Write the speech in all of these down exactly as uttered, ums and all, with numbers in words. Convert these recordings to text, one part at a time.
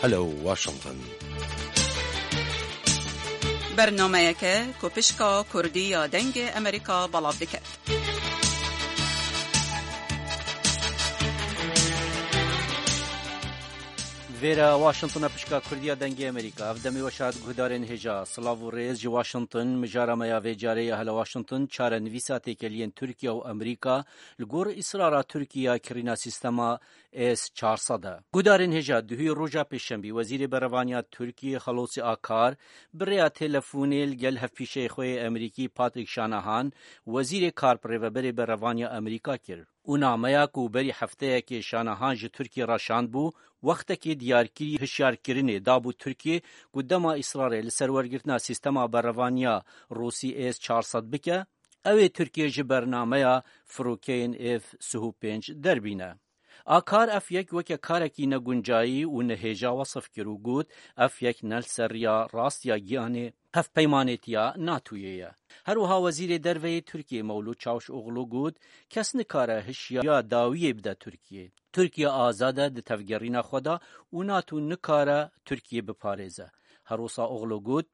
Hello Washington. Bernameyeke ku pişka Kurdî ya Dengê Amerîka belav dike. Vêre Washington e, pişka Kurdî ya Dengê Amerîka. Ev demê weş hat guhdarên hêja. Silav û rêz ji Washington. Mijara me ya vê carê ya Hele Washington çarenivîsa têkeliyên Tirkiye û Amerîka li gor îsrara Tirkiye ya kirîna sîstema S çar sed e. Guhdarên hêja, duhî roja pêşemî, Wezîrê Berevaniya Tirkiyê Xelosî Akar bi rêya telefonê li gel hevpîşeyê xwe yê Amerîkî Patrick Shanahan, Wezîrê Kar bi rêveberê berevaniya Amerîka kir û nameya ku berî hefteyekê Shanahan ji Tirkiyê re şandbû, wextekê diyarkirî hişyarkirinê dabû Tirkiyê ku dema îsrarê li ser wergirtina sîstema berevaniya Rûsî S çar sed bike, ew ê Tirkiye ji bernameya firokeyên F sih û pênc derbîne. Akar ev yek weke karekî neguncayî û nehêja wesif kir û got, ev yek ne li ser riya rast ya giyanê hevpeymanêtiya NATOyê ye. Her wiha Wezîrê Derve yê Tirkiyê Mewlût Çavuşoglu got, kes nikare hişya dawiyê bide Tirkiyê. Tirkiye azad e di tevgerîna xwe de û NATO nikare Tirkiyê biparêze. Herwisa Oglu got,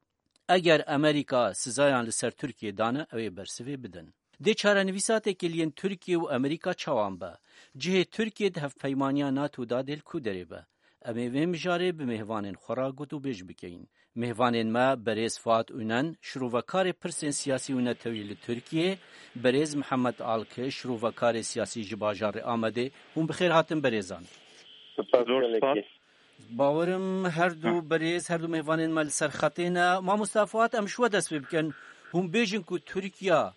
eger Amerîka sizayan li ser Tirkiyê dane, ew ê bersivê bidin. Dê çarenivîsa têkiliyên Tirkiye û Amerîka çawan be? Cihê Tirkiye di hevpeymaniya NATO de dê li ku derê be? Em ê vê mijarê bi mêvanên xwe re gotûbêj bikeyin. Mêvanên me berêz Fuat Unen, şirovekarê pirsên siyasî û netewî li Tirkiyê, berêz Mihemed Alkiş, şirovekarê siyasî ji bajarê Amedê. Hûn bi xêr hatin berêzan. Spas Zor gelekî. Spas. Bawerim her du Heh. berêz, her du mêvanên me li ser xetê ne. Mamosta Fuat, em ji we dest pê bikin. Hûn bêjin ku Tirkiya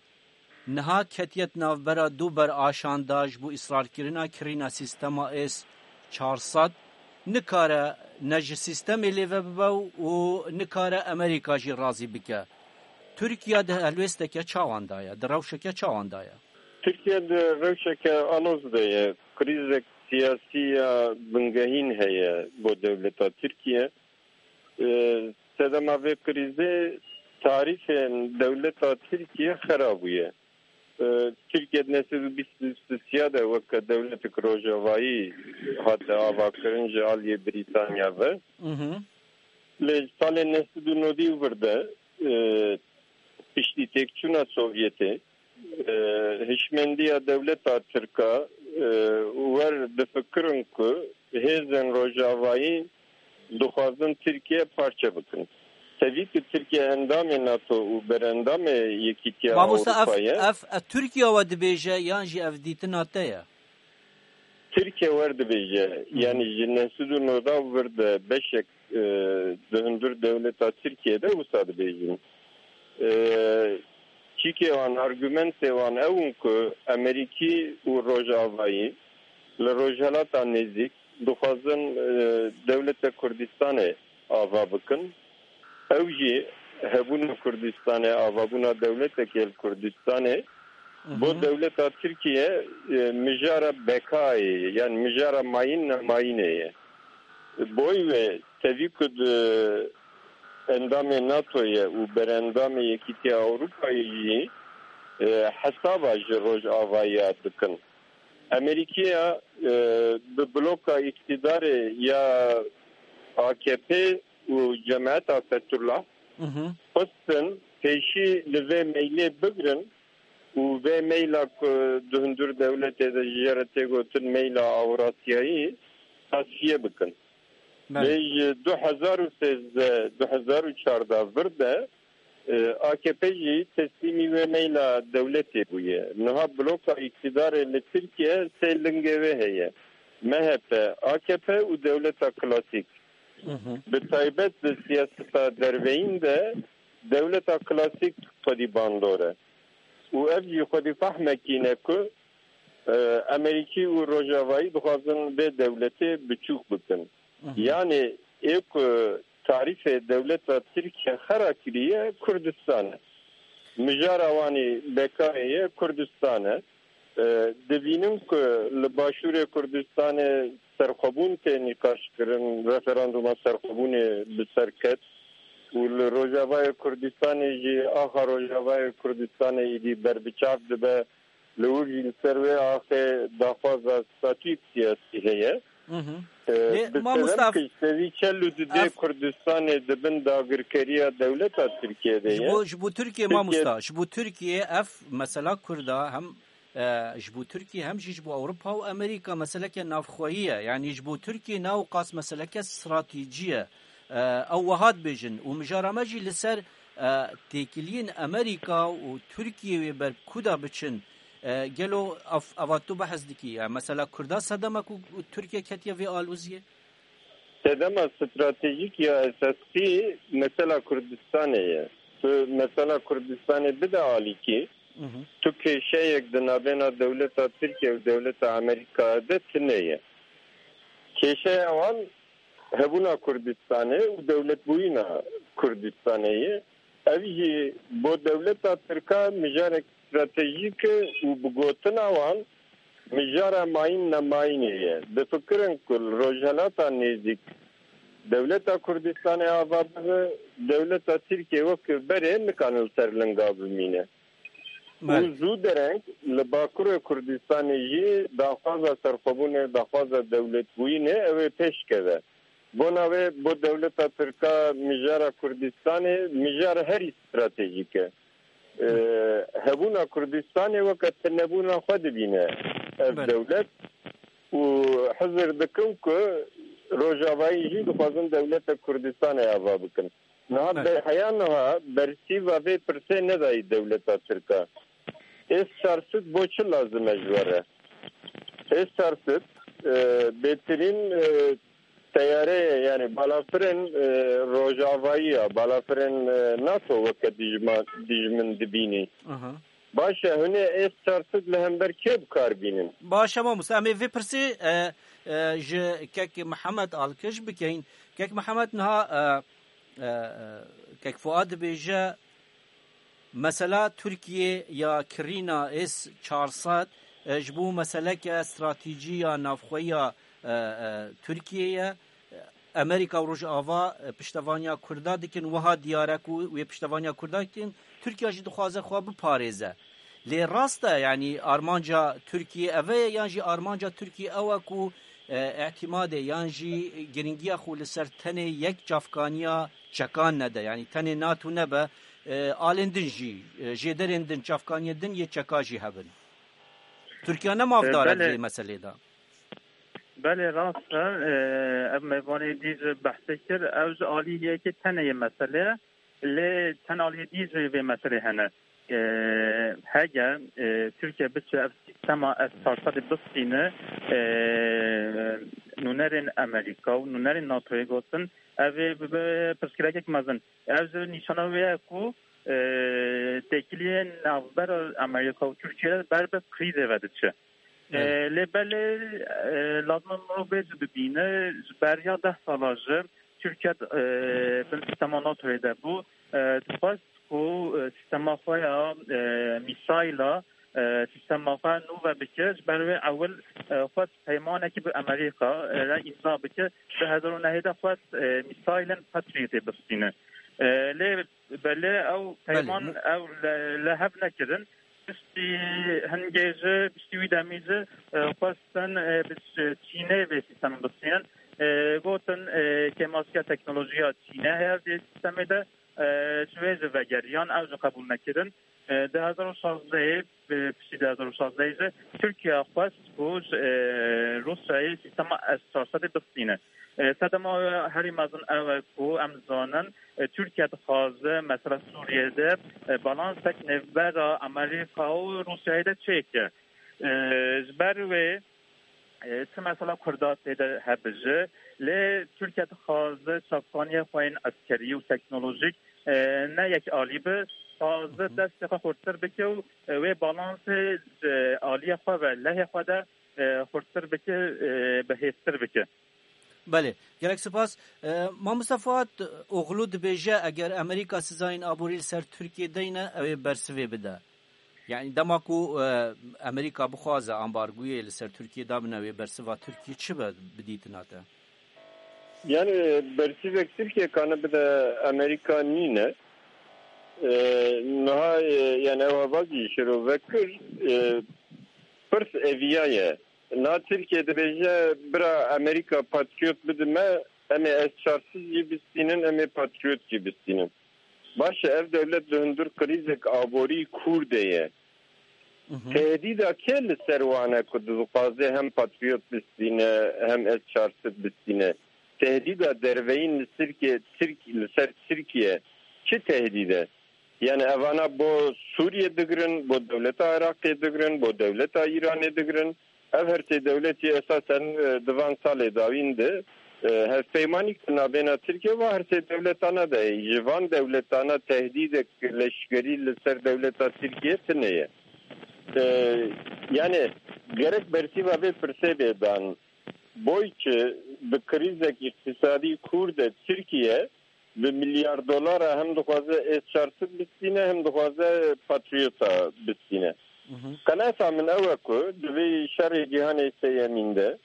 niha ketiye di navbera du beraşan de ji bo îsrarkirina kirîna sîstema S çar sed, nikare ne ji sîstemê lê ve bibe û nikare Amerîka jî razî bike. Tirkiye di helwêsteke çawan de ye, di rewşeke çawan de ye? Tirkiye di rewşeke aloz de ye. Krîzek siyasî ya bingehîn heye bo dewleta Tirkiye. Ee, sedema vê krîzê tarîfên dewleta Tirkiye xera bûye. Ee, Tirkiye di neh sed û bîst û sisiya de weke dewletek rojavayî hate avakirin ji aliyê Brîtanya ve. Mhm. Lê ji salên neh sed û nodî û vir de, e, piştî têkçûna Sovyetê, e, hişmendiya dewleta Tirka, e, wer difikirin ku hêzên rojavayî dixwazin Tirkiye parçe bikin. Tevî ku Tirkiye endamê NATO û berendamê Yekîtiya Mamosta, ev, Ewropa ye. ev, ev Tirkiye we dibêje yan jî ev dîtina te ye? Tirkiye wer dibêje, Hı hı. yanî ji neh sed û nodî û vir de beşek, e, di hundir dewleta Tirkiye de wisa dibêjin. E, çîkê wan, argumentê wan ew in ku Amerîkî û Rojavayî li Rojhelata Nêzîk dixwazin, e, dewleta Kurdistanê ava bikin. Ew jî hebûna Kurdistanê, avabûna dewletekê li Kurdistanê, Hı bo hı. dewleta Tirkiye, e, mijara bekayê ye, yani mijara mayîn nemayînê ye. Boy ve tevî ku di endamê NATO ye û berendamê Yekîtiya Ewropayê jî, e, hesaba ji Rojavayê dikin. Amerîkiya, e, bi bloka îktîdarê ya A K P û Cemaeta Fethullah Mhm. xwestin pêşî li vê meylê bigrin û vê meyla ku di hundir dewletê de ji jê re tê gotin meyla Ewrasyayî tasfiye bikin. Belê. Lê ji du hezar û sêzdeh, du hezar û çardeh vir de, e, A K P jî teslîmî wê meyla dewletê bûye. Niha bloka îktîdarê li Tirkiye sê lingê wê heye. M H P, A K P û dewleta klasîk. Mhm. Bi taybet di siyaseta derveyîn de dewleta klasîk xwedî bandor e. Û ev jî xwedî fehmekî ne ku, e, Amerîkî û Rojavayî dixwazin vê dewletê biçûk bikin. Mhm. Yanî ê ku tarîfê dewleta Tirkiye xera kiriye Kurdistan e. Mijara wanî bekayê ye Kurdistan e. E, dibînin ku li Başûrê Kurdistanê serxwebûn tê nîqaşkirin, referanduma serxwebûnê bi ser ket û li Rojavayê Kurdistanê jî axa Rojavayê Kurdistanê êdî berbiçav dibe. Li wir jî li ser wê axê daxwaza statûyek siyasî heye. Hı hı. E, Lê, bi mamosta, sebem ev, ku ji tevî çel û du dê ev Kurdistanê di bin dagirkeriya dewleta Tirkiyê de ji ye. Bo, ji bo Tirkiye, Tirkiye mamosta, ji bo Tirkiye ev mesela Kurda hem, e, ji bo Tirkiye hem jî ji bo Ewropa û Amerîka meseleke navxweyî ye. Yanî ji bo Tirkiye ne ewqas meseleke stratejî ye. E, ew wiha dibêjin û mijara me jî li ser, e, têkiliyên Amerîka û Tirkiye wê ber kuda biçin. E, gelo ev, eva tu behs dikî? Ya mesela Kurda sedema ku Tirkiye ketiye vê aloziyê? Sedema stratejîk ya esasî mesela Kurdistanê ye. Tu mesela Kurdistanê bide alîkî, Hı hı. tu kêşeyek di navbêna dewleta Tirkiye û dewleta Amerîka de tune ye. Kêşeya wan hebûna Kurdistanê û dewletbûyîna Kurdistanê ye. Ev jî bo dewleta Tirka mijarek stratejîk e û bi gotina wan mijara mayîn nemayînê ye. Difikirin ku li Rojhelata Nêzîk dewleta Kurdistanê ava bibe, dewleta Tirkiye wek berê nikane li ser linga bimîne. Belê. Û zû dereng li Bakurê Kurdistanê jî daxwaza serxwebûnê, daxwaza dewletbûyînê ew ê pêş keve. Bona wê bo dewleta Tirka mijara Kurdistanê mijara herî stratejîk e. E, hebûna Kurdistanê weke tunebûna xwe dibîne ev Belê. dewlet û hizir dikin ku Rojavayî jî dixwazin dewleta Kurdistanê ava bikin. Niha Belê. be-, heya niha bersîva vê pirsê nedayî dewleta Tirka. S çar sed bo çi lazim e ji we re? S çar sed, e, bêtirîn, e, teyare ye, yani balafirên, e, rojavayî ya, balafirên, e, NATO weke dijma-, dijmin dibînî. Aha. Baş e, hûn ê S çar sed li hember kê bi kar bînin? Baş e, mamoste, em ê vê pirsê, e, e, ji kek Mihemed Alkiş bikeyin. Kek Mihemed niha, e, e, e, kek Fuad dibêje, mesela Tirkiye ya kirîna S çar sed, e, ji bo meseleke stratejî ya navxwe ya, e, e, Tirkiye ye. Amerîka û Rojava, e, piştevaniya Kurda dikin, wiha diyar e ku wê piştevaniya Kurda dikin, Tirkiye jî dixwaze xwe biparêze. Lê rast e, yanî armanca Tirkiye ev e, yan jî armanca Tirkiye ew e ku, e, îtîmadê yan jî giringiya xwe li ser tenê yek çavkaniya çekan nede, yanî tenê NATO nebe, e, alên din jî, e, jêderên din, çavkaniyên din yê çeka jî hebin. Tirkiye ne mafdar e E, belê. di vê meselê de. Belê, rast e. E, ev mêvanê dî ji behsê kir. Ew ji alî yekê tenê yê mesele ye. Lê ten aliyê dî jî vê meselê hene. E, hege, e, Tirkiye biçe ev sîstema S çar sedê bistîne, e, nûnerên Amerîka û nûnerên NATOyê gotin, ev ê bibe pirsgirêkek mezin. Ev ji nîşana wê ye ku, e, têkiliyên navbera Amerîka û Tirkiye ber bi krîzê ve diçe. E, Evet. lê belê, e, lazim e mirov bê jî bibîne, ji beriya deh sala jî Tirkiye, e, bin sîstema NATOyê de bû. E, dixwest ku, e, sîstema xwe ya, e, mîsayla, e, sîstema xwe nû ve bike. Ji ber wê ewil, e, xwest peymanekî bi Amerîka, e, re îmza bike. Du hezar û nehê de xwest, e, mîsaylên Patriotê bistîne. E, lê belê ew Belê, peyman mi- ew li, li hev nekirin. Piştî hingê jî, piştî wî demî jî, e, xwestin, e, bi Ç-, Çînê vê sîstemê bistînin. E, gotin, e, kêmasiya teknolojiya Çînê heye vê sîstemê de, e, ji wê jî vegeriyan, ew jî qebûl nekirin. E, du hezar û şazdehê, e, piştî du hezar û şazdehê jî Tirkiye xwest ku ji, e, Rûsyayê sîstema S çar sedê bistîne. E, sedema herî mezin ew e ku em zanin, e, Tirkiye dixwaze mesela Sûriyê de, e, balansek nêvbera Amerîka û Rûsyayê de çêke. E, ji ber wê, e, çi mesela Kurda tê de hebije, lê Tirkiye dixwaze çavkaniyê xwe yên eskerî û teknolojîk, e, ne yek alî be, dixwaze Hı hı. destê xwe xurttir bike û, e, wê balansê ji aliyê xwe ve lehê xwe de, e, xurttir bike, e, bihêztir bike. Belê, gelek spas. E, Mamoste Fuat Oğlu dibêje, eger Amerîka sizayên aborî li ser Tirkiye deyne, ew ê bersivê bide. Yani dema ku, e, Amerîka bixwaze ambargoyê li ser Tirkiye dabine, wê bersiva Tirkiye çi be bi dîtina te? Yani bersivek Tirkiye kane bide Amerîka nîne. E, niha, e, yani ew hevazî şirove kir, e, pirs eviya ye. Na Tirkiye dibêje, bira Amerîka Patriot bidime, em ê S çar sed jî bistînin, em ê Patriot jî bistînin. Baş e, ev dewlet li hundir krîzek aborî kûr de ye. Tehdîda kê li ser wan e ku dixwaze hem Patriot bistîne, hem S çar sed bistîne? Tehdîda derveyîn li Tirkiye, Tirk-, li ser Tirkiye çi tehdîd e? Yani evana bo Sûriye digirin, bo dewleta Iraqê digirin, bo dewleta Îranê digirin. Ev her sê dewletî esasen, e, di van salê dawîn de, e, hevpeymanîk di navbêna Tirkiye ve her sê dewletana de heye. Ji van dewletana tehdîdek leşkerî li ser dewleta Tirkiye tune ye. E, yani gerek bersîva vê pirsê bê dan. Boy çi bi krîzek îqtîsadî kûr de Tirkiye bi milyar dolara hem dixwaze S çar sed bistîne, hem dixwaze Patriota bistîne. Qenaeta min ew e ku di vê şerê cîhanê sêyemîn de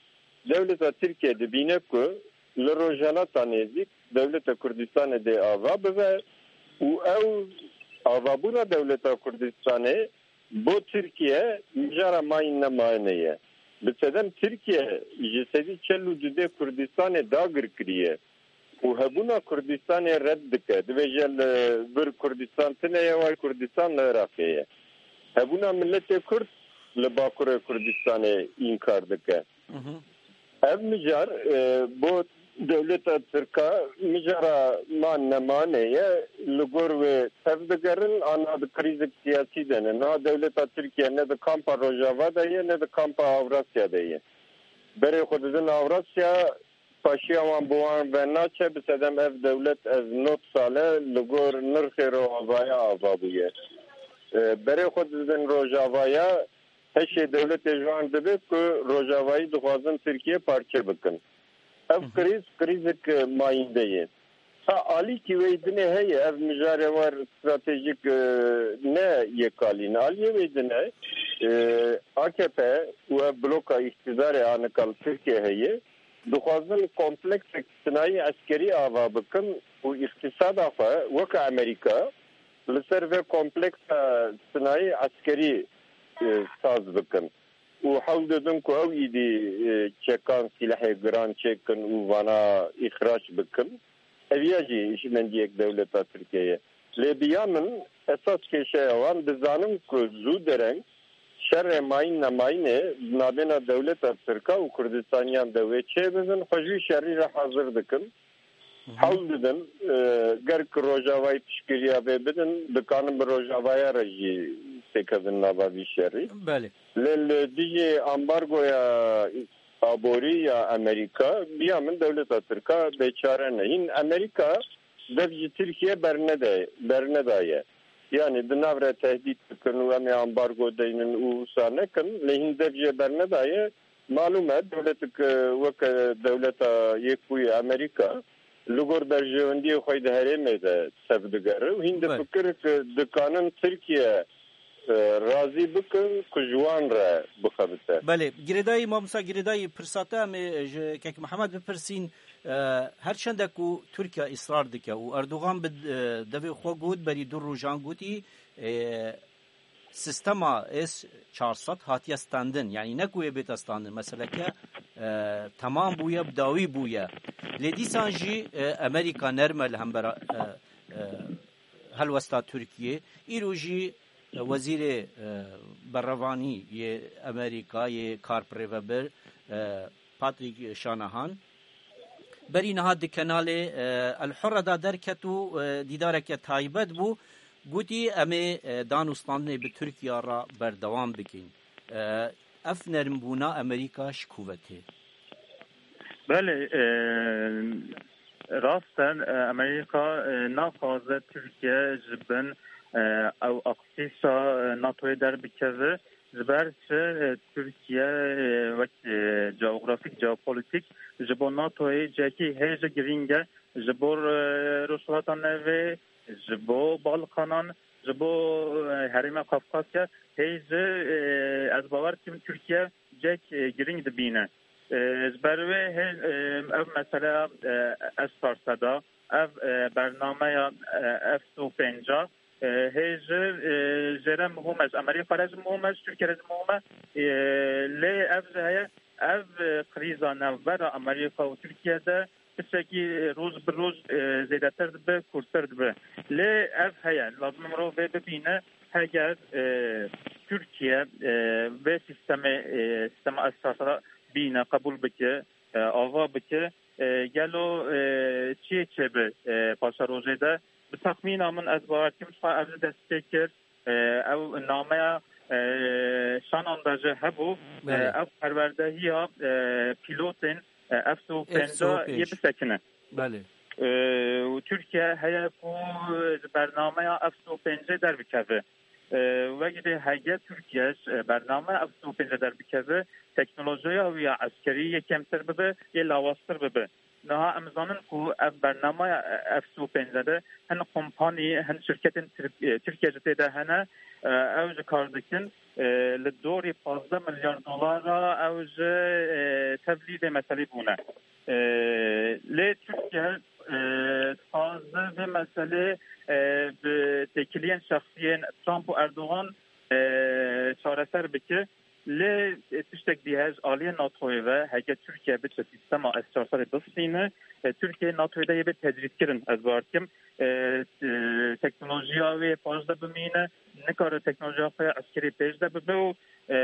dewleta Tirkiye dibîne ku li Rojhilata Nêzîk dewleta Kurdistanê dê ava bibe û ew avabûna dewleta Kurdistanê bo Tirkiye mijara mayîn nemayînê ye. Bi sedem Tirkiye ji sedî çel û du dê Kurdistanê dagir kiriye û hebûna Kurdistanê red dike. Dibêje li vir Kurdistan tune ye, way Kurdistan li Iraqê ye. Hebûna miletê Kurd li Bakurê Kurdistanê înkar dike. Ev mijar, e, bo dewleta Tirka mijara man nemanê ye, li gor wê tev digerin, ana di krîzek siyasî de ne. Niha dewleta Tirkiye ne di kampa Rojava de ye, ne di kampa Avrasya de ye. Berê xwe didin Avrasya, paşiya wan bi wan ve naçe, bi sedem ev dewlet ev nod sale li gor nirxê Rojavaya ava bûye. E, berê xwe didin Rojavaya, heşê dewletê ji wan dibe ku Rojavayî dixwazin Tirkiye parçe bikin. Ev krîz, krîzek, e, mayînde ye. Ha, alîkî wê dinê heye, ev mijarê war stratejîk, e, ne yek alî ne. Aliyê wê dinê, e, A K P û ev bloka îqtîdarê anika li Tirkiye heye, dixwazin kompleksek sinayî eskerî ava bikin û îqtîsada xwe weke Amerîka li ser vê kompleksa sinayî eskerî, e, saz bikin û hewl didin ku ew îdî, e, çekan, sîlehê giran çêkin û vana îxrac bikin. Ev ya jî hişmendiyek dewleta Tirkiye ye. Lê bi ya min esas kêşeya wan dizanin ku zû dereng şerê mayîn nemayînê di navbêna dewleta Tirka û Kurdistaniyan de wê çêbibin, xwe ji wî şerî re hazir dikin. Hewl didin, e, ger ki Rojavayî piştgiriya vê bidin, dikanin bi Rojavaya re jî têkevin nava vî şerî. Belê. Lê li dijî ambargoya aborî ya Amerîka, biya min dewleta Tirka bêçare ne. Hîn Amerîka dev ji Tirkiye bernede-, bernedaye. Yani di nav re tehdît dikin û em ê ambargo deynin û wisa nekin, lê hîn dev jê bernedaye. Malûm e, dewletik, e, weke dewleta Yekbûyî Amerîka li gor berjewendiyê xwe di herêmê de tev digere û hîn Belê. difikir ku dikanin Tirkiye, e, razî bikin ku ji wan re bixebite. Belê, girêdayî, mamosta girêdayî pirsa te em ê ji Kek Mihemed bipirsîn, e, her çende ku Tirkiye israr dike û Erdogan bi, e, devê xwe got, berî du rojan gotî, e, sistema S çar sed hatiye standin. Yani ne ku yê bête standin. Meseleke, e, temam bûye, bi dawî bûye. Lê dîsan jî, e, Amerîka nerme li hembera, e, e, helwesta Tirkiye. Îro jî, e, wezîrê, e, berevanî yê Amerîka yê kar birêvebir, e, Patrick Shanahan, berî niha di kenalê, e, El Hurre de derket û, e, dîdareke taybet bû. Gotî, em ê, e, danûstandinê bi Tirkiye re berdewam bikin. E, ev nermbûna Amerîka ji ku ve tê? Belê, e, rast e, e, Amerîka, e, naxwaze Tirkiye ji bin, e, ew aksîsa, e, NATOyê derbikeve. Ji ber çi, e, Tirkiye, e, wek, e, coğrafîk, jeopolitîk ji bo NATOyê cihekî hêj girîng e, ji bo, e, Rojhilata Navê, ji bo Balkanan, ji bo, e, herêma Kafkasya hêj, e, ez bawer dikim Tirkiye cihek, e, girîng dibîne. E, ji ber wê hê, e, ev meseleya, e, S çar sed a, ev, e, bernameya, e, F sed û pêncî, e, hê ji, e, jê re muhim e, ji Amerîka re jî muhim e, ji Tirkiye re jî muhim e. E, lê Ev jî heye, ev, e, krîza navbera Amerîka û Tirkiye de tiştekî, e, roj bi roj, e, zêdetir dibe, kûrtir dibe. Lê ev heye, lazim e mirov vê bibîne, heger, e, Tirkiye, e, vê sîstemê, e, sîstema S çar sed bîne, qebûl bike, e, ava bike, e, gelo, e, çiyê çêbe, e, paşerojê de? Bi texmîna min ez bawer dikim, ji xwe ev jî dest pê kir. E, ew nameya, e, Şanonda jî hebû. E, Belê. Ev perwerdehiya, e, pîlotên, e, F sî û pênc yê bisekine. Belê. E, û Tirkiye heye ku ji bernameya F sî û pêncê derbikeve. E, wek jî hege Tirkiye ji bernameya F sî û pêncê derbikeve, teknolojiya wî ya eskerî yê kêmtir bibe, yê lawaztir bibe. Niha em zanin ku ev bernameya F sî û pênc de hin kompanî, hin şirketên Tirk-, e, Tirkiye jî tê de hene, e, ew ji kar dikin, e, li dorî pazdeh milyar dolara ew ji, e, tevlî vê meselê bûne. E, lê Tirkiye, e, dixwaze vê meselê, e, bi têkiliyên şexsiyên Trump û Erdogan, e, çareser bike. Lê, e, tiştek dî heye ji aliyê NATOyê ve, heke Tirkiye biçe sîstema S çar sed bistîne, e, Tirkiye NATOyê de yê bê tecrîdkirin, ez bawer dikim. E, e, teknolojiya wê paş de bimîne, nikare teknolojiya xwe ya eskerî pêş de bibe û, e,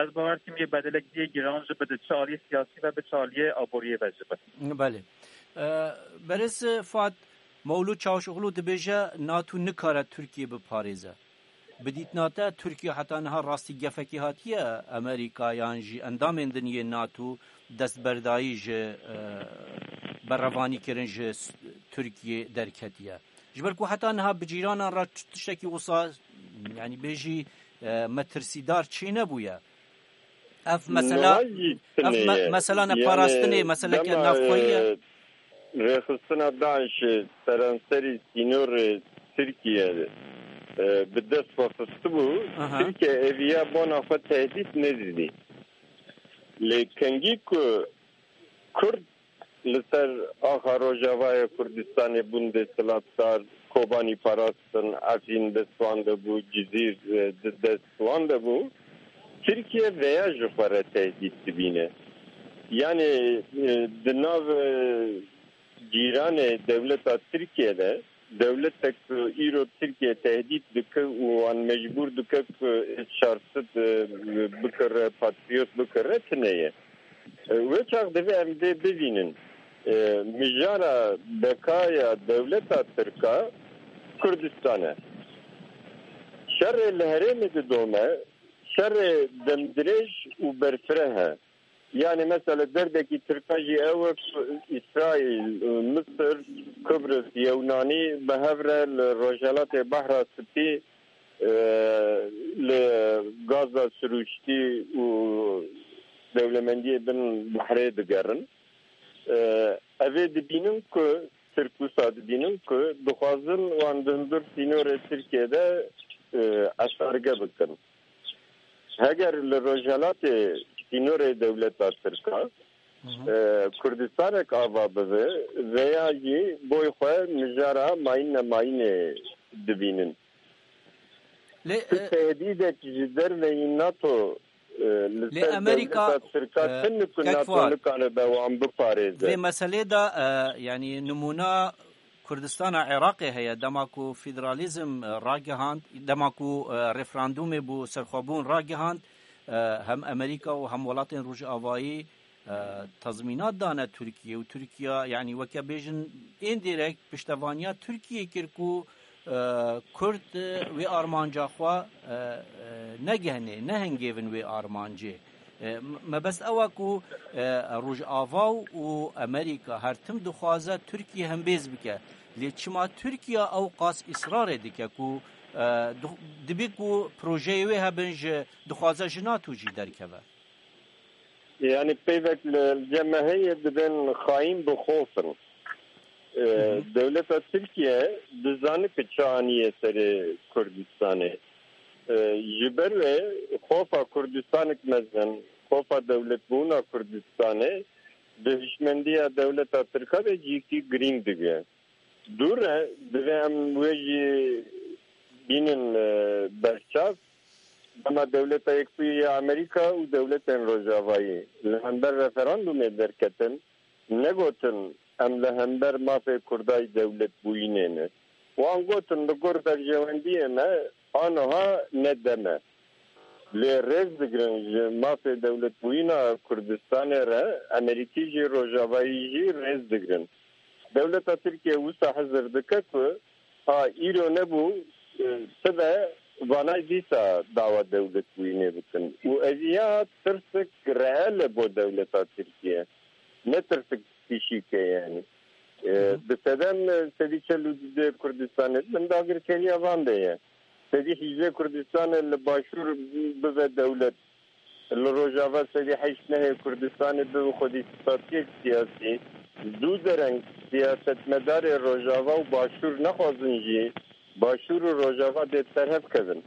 ez bawer dikim yê bedelek dî yê giran jî bide, çi aliyê siyasî ve be, çi aliyê aboriyê ve jî be. Belê. E, Berêz Fuat, Mewlûd Çavuşoglu dibêje NATO nikare Tirkiye biparêze. Bi dîtina te Tirkiye heta niha rastî gefekê hatiye Amerîka yan jî endamên din yê NATO destberdayî ji, e, berevanîkirin ji s-, Tirkiye derketiye? Ji ber ku heta niha bi cîranan re t-, tiştekî wisa, yanî bêjî, e, metirsîdar çênebûye. Ev mesela, Niha jî ev tune me-, ye. Mesela Yani neparastinê, meseleke dema, navxweyî ye. E, rêxistina DAIŞê seranserî sînorê Tirkiye, e, bi dest xwe xistibû, Aha. Tirkiye eviya bona xwe tehdît nedidî. Lê kengî ku Kurd li ser axa Rojavayê Kurdistanê bûn desthilatdar, Kobanî parastin, Efrîn dest wan de bû, Cizîr, e, di dest wan de bû. Tirkiye veya ji xwe re tehdît dibîne. Yanî, e, di nav, e, cîranê dewleta Tirkiye de, dewletek ku îro Tirkiye tehdît dike û wan mecbûr dike ku S çar sed, e, bikire, Patriot bikire, tune ye. E, wê çax divê em vê bivînin. E, mijara bekaya dewleta Tirka Kurdistan e. Şerê li herêmê didome, şerê demdirêj û berfireh e. Yani mesela derdekî Tirka jî ew e ku Îsraîl, Misir, Kıbrıs, Yewnanî bi hev re li Rojhelatê Behra Spî, e, li gaza sirûştî û dewlemendiyê bin behrê digerin. E, Ev ê dibînin ku, Tirk wisa dibînin ku dixwazin wan di hundir sînorê Tirkiye de, e, eşarge bikin. Heger li Rojhelatê sînorê dewleta Tirka, Hı hı. e, Kurdistanek ava bibe, veya jî boy xwe mijara mayîn nemayînê dibînin. Lê, Tu e, tehdîdek ji derveyî NATO, e, li Lê ser Amerîka, dewleta Tirka e, çi niku kek NATO Fuat, nikare be wan biparêze? Vê meselê de, e, yanî nimûna Kurdistana Iraqê heye, dema ku federalîzm, e, ragihand, dema ku, e, referandûmê bo serxwebûn ragihand, e, hem Amerîka û hem welatên Rojavayî, e, tezmînat dane Tirkiye û Tirkiye, yanî weke bêjin, indirekt piştevaniya Tirkiye kir ku, e, Kurd, e, wê armanca xwe, e, e, negehne, nehingêvin wê armancê. E, m-, mebest ew e ku, e, Rojava û Amerîka her tim dixwaze Tirkiye hembêz bike. Lê çima Tirkiye ew qas îsrarê dike ku, e, du-, dibê ku projeyê wê hebin ji, dixwaze ji NATO jî derkeve? Yani peyvek li cem me heye, dibên xayîn bi xof in. E, Hı hı. Dewleta Tirkiye dizane ku çi aniye serê Kurdistanê. E, ji ber wê xofa Kurdistanek mezin, xofa dewletbûna Kurdistanê di hişmendiya dewleta Tirka de cîkî girîng dike. Dûr e, divê em wê jî bînin, e, berçav. Dema Dewleta Yekbûyî ya Amerîka û dewletên Rojavayî li hember referandumê derketin, negotin em li hember mafê Kurda yî dewlet bûyînê ne. Wan gotin li gor berjewendiyê me aniha ne dem e. Lê rêz digirin ji mafê dewletbûyîna Kurdistanê re Amerîkî jî Rojavayî jî rêz digirin. Dewleta Tirkiye wisa hizir dike ku ha îro nebû, e, sibe vanay dîsa dawa dewletbûyînê bikin. Û ev ya tirsek reel e bo dewleta Tirkiye. Ne tirsek fîşîk e yani. E, Hı hı. Bi sedem, e, sedî çel û du Kurdistanê min dagirkeriya van de ye. Sedî hîjdeh Kurdistanê li başûr bibe dewlet. Li Rojava sedî heşt nehê Kurdistanê bibe xwedî statiyek siyasî. Du dereng siyasetmedarê Rojava û Başûr nexwazin jî Başûr û Rojava dê ser hev kevin.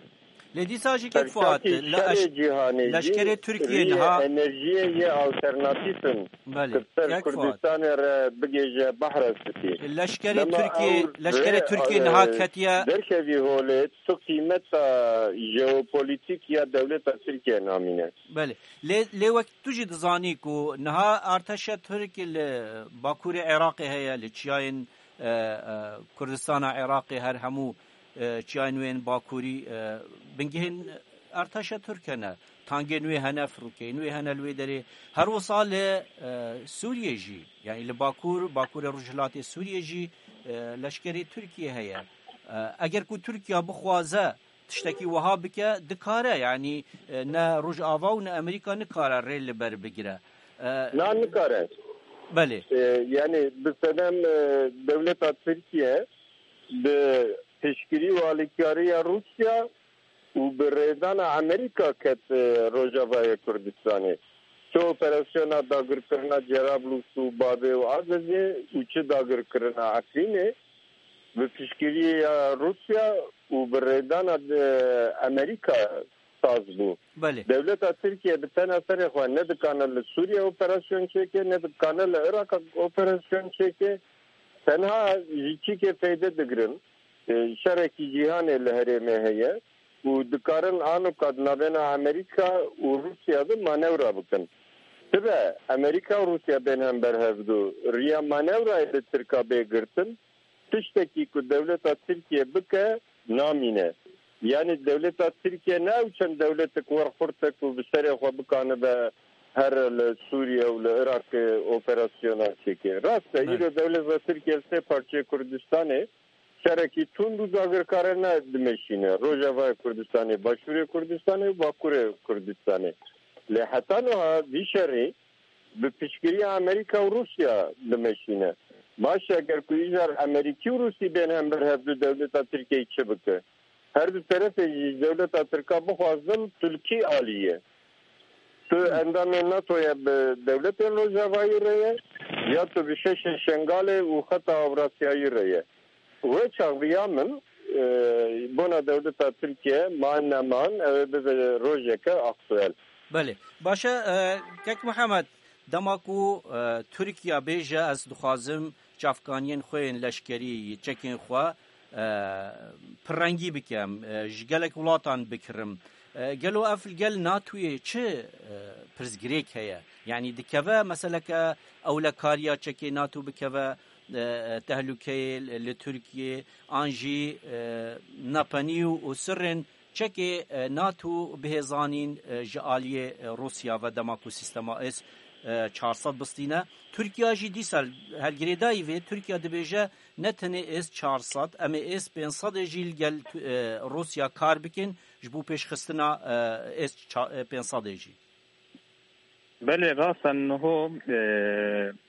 Lê dîsa jî kek Fuat, Serkakî le-, şerê cîhanê jî leşkerê Tirkiye riyê niha enerjiyê yê alternatîf in. Belê, Ku ser kek Fuat. Kurdistanê re bigêje behra spî. Leşkerê Dema Tirkiye, ew leşkerê rê, Tirkiye e, niha ketiye. Derkevî holê tu qîmeta jeopolitîk ya dewleta Tirkiye namîne. Belê. Lê, lê wek tu jî dizanî ku niha arteşa Tirk li Bakurê Iraqê heye, li çiyayên, e, e, Kurdistana Iraqê her hemû, e, çiyayên wê yên Bakurî, e, bingehên arteşa Tirk hene. Tangên wê hene, firokeyên wê hene li wê derê. Her wisa li, e, Sûriyê jî, yani li Bakur, Bakurê Rojhilatê Sûriyê jî, e, leşkerê Tirkiye heye. E, eger ku Tirkiye bixwaze tiştekî wiha bike, dikare, yanî, e, ne Rojava û ne Amerîka nikare rê li ber bigire. E, Na, nikare. Belê. E, yani bi sedem, e, dewleta Tirkiye bi piştgirî û alîkariya Rûsya û bi rêdana Amerîka ket, e, Rojavayê Kurdistanê. Çi operasyona dagirkirina Cerablus û Babê û Azezê û çi dagirkirina Efrînê, bi piştgiriya Rûsya û bi rêdana de Amerîka saz bû. Belê. Dewleta Tirkiye bi tena serê xwe ne dikane li Sûriye operasyon çêke, ne dikane li Iraq operasyon çêke. Tenha ji çîkê feyde digirin. E, şerekî cîhanê li herêmê heye û dikarin anoka di navbena Amerîka û Rûsya de manewra bikin. Sibe Amerîka û Rûsya bên hember hevdu. Riya manewrayê li Tirka bê girtin. Tiştekî ku dewleta Tirkiye bike, namîne. Yani dewleta Tirkiye ne ew çend dewletek werxurte ku bi serê xwe bikanibe here li Sûriye û li Iraqê operasyona çêke. Rast e, Evet. îro dewleta Tirkiye li sê parçeyê Kurdistanê şerekî tund û dagirkare ne dimeşîne. Rojavayê Kurdistanê, Başûrê Kurdistanê û Bakurê Kurdistanê. Lê heta niha vî şerî bi piştgiriya Amerîka û Rûsya dimeşîne. Baş e, eger ku îcar Amerîkî û Rûsî bên hember hevdu dewleta Tirkiyeyê çi bike? Her du terefê jî ji dewleta Tirka bixwazin tu li kî alî ye? Tu endamê NATO ye bi dewletên Rojavayî re ye, ya tu bi şeşê Şengalê û xeta Ewrasyayî re ye. Wê çax bi ya min, e, bona dewleta Tirkiye man neman, ew ê bibe rojeke aktuel. Belê. Baş e, e, kek Mihemed, dema ku, e, Tirkiye bêje, ez dixwazim çavkaniyên xwe yên leşkerî, çekên xwe, e, pirrengî bikim, e, ji gelek welatan bikirim. E, gelo ev li gel NATOyê çi, e, pirsgirêk heye? Yanî dikeve meseleke ewlekariya çekê NATO bikeve, e, tehlûkeyê li, li Tirkiyê, an jî, e, nepenî û, û sirrên çekê, e, NATO bihêzanîn, e, ji aliyê, e, Rûsya ve dema ku sîstema S, e, çar sed bistîne. Tirkiye jî dîsa her girêdayî vê, Tirkiye dibêje ne tenê S çar sed, em ê S pênc sed jî li gel, e, Rûsya kar bikin ji bo pêşxistina, e, S ça-, e, pênc sed jî. Belê, rast e, niho, e,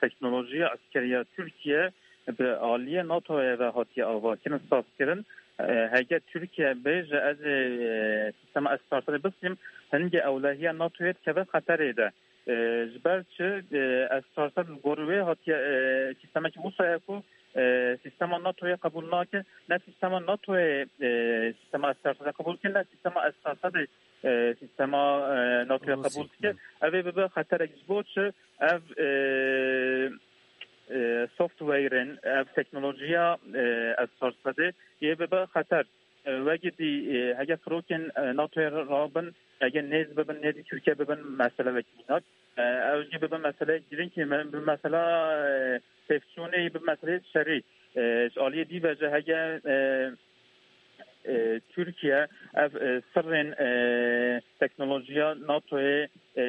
teknolojiya eskeriya Tirkiye bi aliyê NATOyê ve hatiye avakirin, sazkirin. E, hege Tirkiye bêje, ez ê, e, sîstema S çar sed bistînim, hingê ewlehiya NATOyê dikeve xeterê de. E, ji ber çi, e, S çar sed li gor wê hatiye, e, sîstemekî wisa ye ku, e, sîstema NATOyê qebûl nake, ne sîstema NATOyê, e, sîstema S çar sed qebûl dike, ne sîstema S çar sed e, sîstema, e, NATOyê Rûsya, qebûl dike. hı. Ev ê bibe xeterek ji bo çi? Ev, e, e, softwareên, ev teknolojiya, e, S çar sedê yê bibe xeter. E, wekî dî, e, heke xirokên, e, NATOyê rabin, heke nêz bibin, nêzî Tirkiye bibin, mesele wekî mînak. E, ew jî bibin meseleyek girîng, me-, bi mesela, e, pevçûnê, bi meseleyê şerî. E, ji aliyê dî ve jî heke, e, e, Tirkiye ev, e, sirrên, e, teknolojiya NATOyê, e,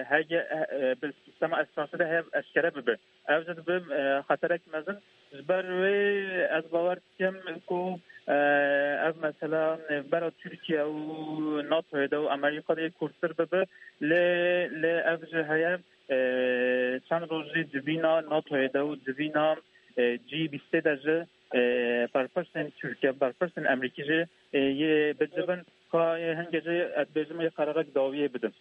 heke, e, bi sîstema esrarê de hev eşkere bibe. Ev jî dibe, e, xeterek mezin. Ji ber wê ez bawer dikim ku, e, ev mesela nêvbera Tirkiye û NATOyê de û Amerîka de yê kûrtir bibe. Lê, lê ev jî heye, e, çend roj jî civîna NATOyê de û civîna, e, G bîstê de jî, e, berpirsên Tirkiye, berpirsên Amerîkî jî, e, yê bicivin. Ka, e, hingê jî ez dibêjim yê qerarek dawiyê bidin.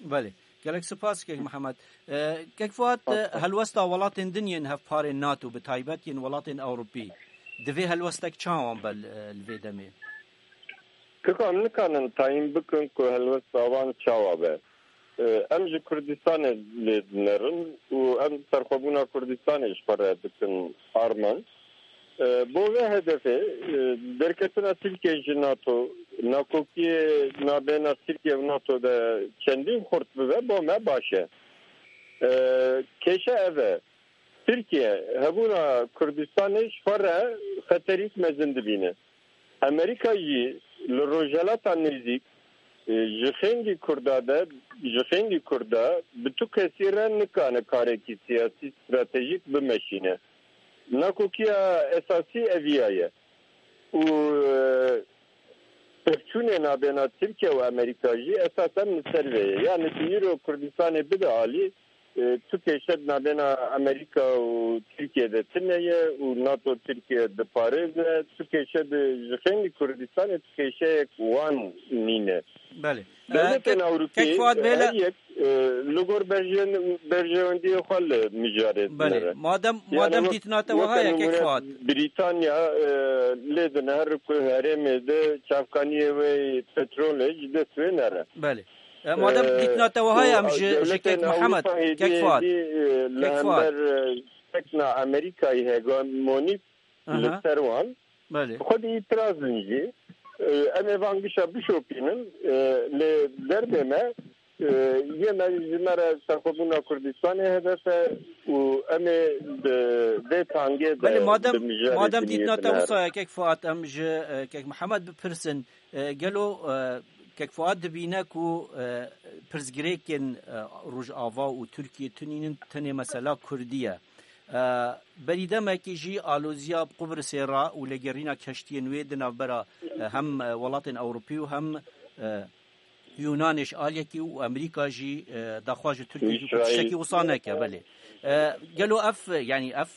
Belê. Gelek spas kek Mihemed. E, kek Fuat, e, helwesta welatên din yên hevparên NATO, bi taybet yên welatên Ewropî, divê helwestek çawan be li, e, li vê demê? Kika em nikanin tayîn bikin ku helwesta wan çawa be. E, em ji Kurdistanê lê dinerin û em serxwebûna Kurdistanê ji xwe re dikin armanc. E, bo vê hedefê, e, derketina Tirkiye ji NATO, nakokiyê nabêna Tirkiye û NATO de çendîn xurt bibe, bo me baş e. E, kêşe ev e. Tirkiye hebûna Kurdistanê ji xwe re xeterîk mezin dibîne. Amerîka jî li Rojhelata Nêzîk, e, ji xêngî Kurda de, ji xêngî Kurda bi tu kesî re nikane karekî siyasî stratejîk bimeşîne. Nakokiya esasî eviya ye. Û, e, pevçûnê nabêna Tirkiye û Amerîka jî esasen li ser vê ye. Yani tu îro Kurdistanê bide alî, e, tu kêşe di nabêna Amerîka û Tirkiye de tune ye û NATO Tirkiye diparêze, tu kêşe di ji xêngî Kurdistanê tu kêşeyek wan nîne. Belê. Dewletên Ewropî kek Fuat Bey, her yek, e, li gor berjên-, berjewendiyê xwe li mijarê dinere. Belê. Madem, yani madem dîtina te wiha ye, kek Fuat. Brîtanya, e, lê dine her ku herêmê de çavkaniyê wê petrolê ji dest wê nere. Belê. E, madem, e, dîtina te wiha ye, em ji, ji kek Mihemed, kek Fuat. Li hember, e, sekna Amerîkayê hegemonîk li ser wan. Belê. Xwedî îtiraz in jî. E, em ê van gişa bişopînin. E, lê derbê me, e, yê me ji me re serxwebûna Kurdistanê hedef e û em ê bi vê tangê de. Belê, madem, madem dîtina te wisa ye, kek Fuat, em ji, e, kek Mihemed bipirsin. E, gelo, e, kek Fuat dibîne ku, e, pirsgirêkên, e, Rojava û Tirkiye tunînin, tenê mesela Kurdî ye. E, berî demekî jî aloziya Qubrisê re û lêgerîna keştiyên wê di navbera, e, hem, e, welatên Ewropî û hem, e, Yûnanê ji aliyekî û Amerîka jî, e, daxwaz ji Tirkiyê kir ku tiştekî wisa neke, belê. E, gelo ev, yani ev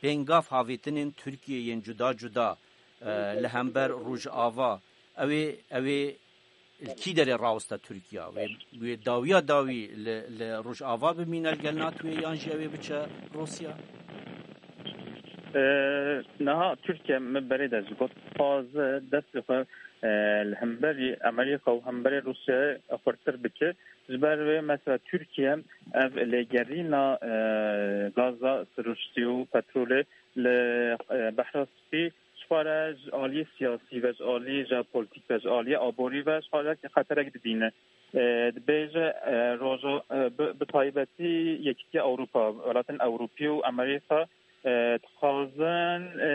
pêngav havêtinên Tirkiyê yên cuda cuda, e, li hember Rojava, ew ê, ew ê li kî derê rawiste Tirkiya? Wê, wê dawiya dawî li, li Rojava bimîne li gel NATOyê yan jî ew ê biçe Rûsya? E, niha Tirkiye, min berê de jî got, dixwaze destê xwe, e, li hemberî Amerîka û hemberî Rûsyayê xurtir bike. Ji ber vê mesela Tirkiye ev lêgerîna, e, gaza siruştî û petrolê li, e, Behra Spî ji xwe re ji aliyê siyasî ve, ji aliyê jeopolîtîk ve, ji aliyê aborî ve ji xwe re xeterek dibîne. E, dibêje, e, roja, e, bi, bi taybetî Yekîtiya Ewropa, welatên Ewropî û Amerîka, e, dixwazin, e,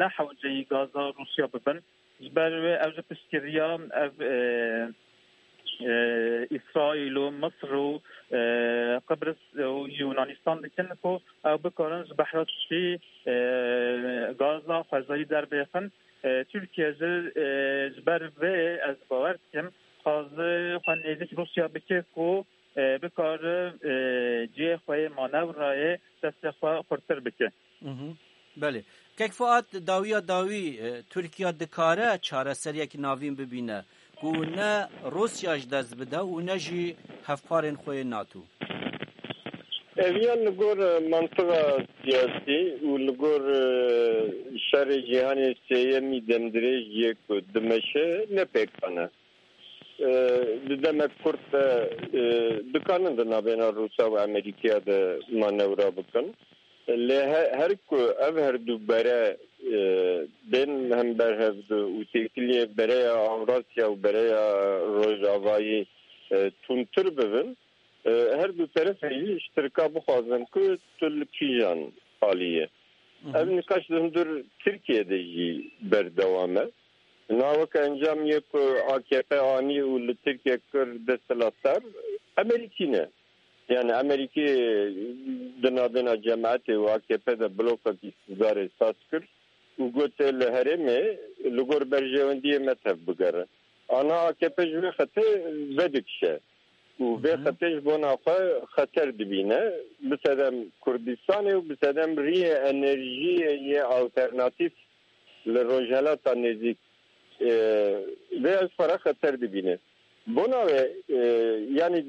ne hewceyî gaza Rûsya bibin. Ji ber wê ev ji piştgiriya ev, e, e, Îsraîl û Misir û, e, Qibris û Yûnanistan dikin ku ew bikarin ji Behra Spî, e, gaza xwezayî derbêxin. E, Tirkiye jî, e, ji ber vê ez bawer dikim, dixwaze xwe nêzîk Rûsya bike ku, e, bikare, e, cihê xwe yê manevrayê destê xwe xurtir bike. Mhm. Belê. Kek Fuat, dawiya dawî, e, Tirkiye dikare çareseriyek navîn bibîne ku ne Rûsya ji dest bide û ne jî hevparên xwe yê NATO? Ev yan li gor, e, mantiqa siyasî û li gor, e, şerê cîhanê sêyemî demdirêj yê ku dimeşe ne pêkan e. E, di demek kurt de, e, dikanin di navbêna Rûsya û Amerîkaya de manewra bikin. Lê he-, her ku ev her du bere, e, e, bên hember hev du û têkiliyê bereya Ewrasya û bereya Rojavayî, e, tundtir bibin, e, her du terefê jî ji Tirka bixwazin ku tu li kîjan alî ye. Ev nîqaş di hundir Tirkiye de jî berdewam e. Niha weke encamiyê ku A K P anî û li Tirkiye kir desthilatdar, Amerîkî ne. Yani Amerîkî di navbêna cemaetê û A K P de blokek îqtîdarê saz kir û got, tê li herêmê li gor berjewendiyê me tev bigere. Ana A K P ji vê xetê vedikişe û vê xetê ji bona xwe xeter dibîne. Bi sedem Kurdistanê û bi sedem riyê enerjiyê yê alternatîf li Rojhelata Nêzîk, e, vê ev para xeter dibîne. Bona wê, e, yani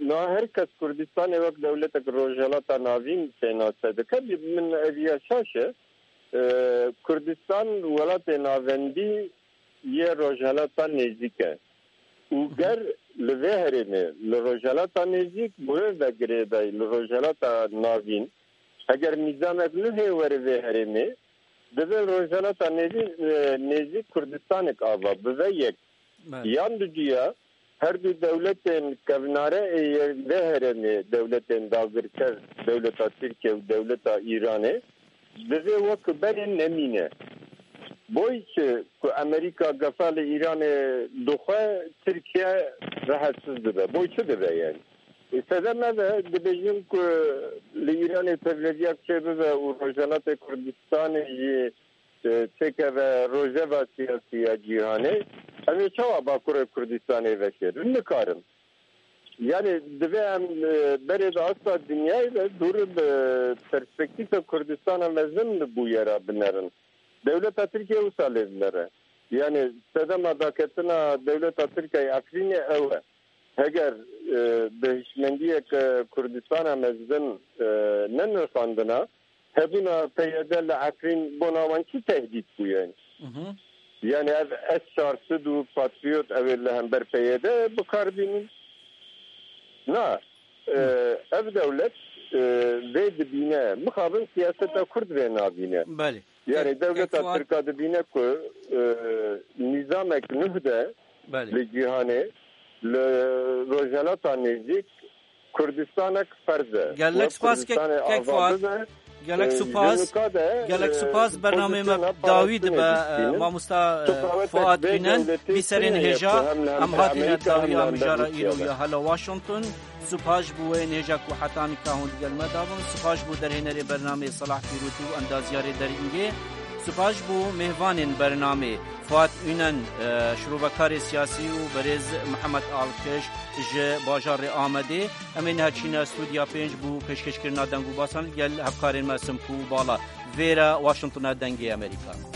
niha her kes Kurdistanê wek dewletek Rojhelata Navîn pênase dike. Min ev ya şaş e. E, Kurdistan welatê navendî yê Rojhelata Nêzîk e. Û ger li vê herêmê, li Rojhelata Nêzîk, bi wê ve girêdayî li Rojhelata Navîn, heger nîzamek nuhê were vê herêmê, divê Rojhelata Nêzî-, e, Nêzîk Kurdistanek ava bibe yek. Belê. Yan ducuya, her du dewletên kevnare ê yê vê herêmê, dewletên dagirker, dewleta Tirkiye û dewleta Îranê, divê wek berê nemîne. Boy çi ku Amerîka gefa li Îranê dixwe, Tirkiye rehetsiz dibe. Boy çi dibe yani? E, sedem ev e, dibêjin ku li Îranê tevlediyak çêbibe û Rojhelatê Kurdistanê jî, e, têkeve rojeva siyasî ya cîhanê. Em ê çawa Bakurê Kurdistanê veşêrin? Nikarin. Yani divê em, e, berê di asta dinyayê de dûr bi perspektîfa Kurdistana mezin li bûyera binerin. Dewleta Tirkiye wisa lê dinere. Yani sedema daketina dewleta Tirkiye Efrînê ew e. Heger, e, bi hişmendiyek, e, Kurdistana mezin, e, nenirxandina, hebûna P Y D li Efrîn bona wan çi tehdît bûye? Mhm. Yani ev S çar sed û Patriot ew ê li hember P Y D bi kar bînin? Na. E, ev dewlet, e, vê dibîne. Mixabin siyaseta Kurd vê nabîne. Belê. Yani Kek, dewleta Kek Fuat. Tirka dibîne ku, e, nîzamek nuh de Belê. Li cîhanê, li Rojhelata Nêzîk Kurdistanek ferz e. Gelek Wek spas Kek, Kurdistanê Kek ava Fuat. Bibe, Gelek e, spas. Ji nika de, Gelek e, spas. Bernamê me pozisyona dawî dibe, parastinê e, dişînin. Mamosta, e, Tutawetek Fuat vê Bînen, dewletê vî serên tune ye hêja, ku hem li em hember hatine Amerîka, hem dawî li a hember mijara Rûsya îro de. Ya hela Washington. Spas ji bo wê hêja ku heta nika hûn digel me dabin. Spas ji bo derhênerê bernameyê Salah Pîrotî û endazyarê Derîngê. Spas ji bo mêvanên bernamê Fuat Ünen, e, şirovekarê siyasî û berêz Mihemed Alkeş ji bajarê Amedê. Em ê niha çîne stûdya pênc bo pêşkêşkirina deng û basan li gel hevkarên me Simkû û Bala. Vêre Washingtona Dengê Amerîka.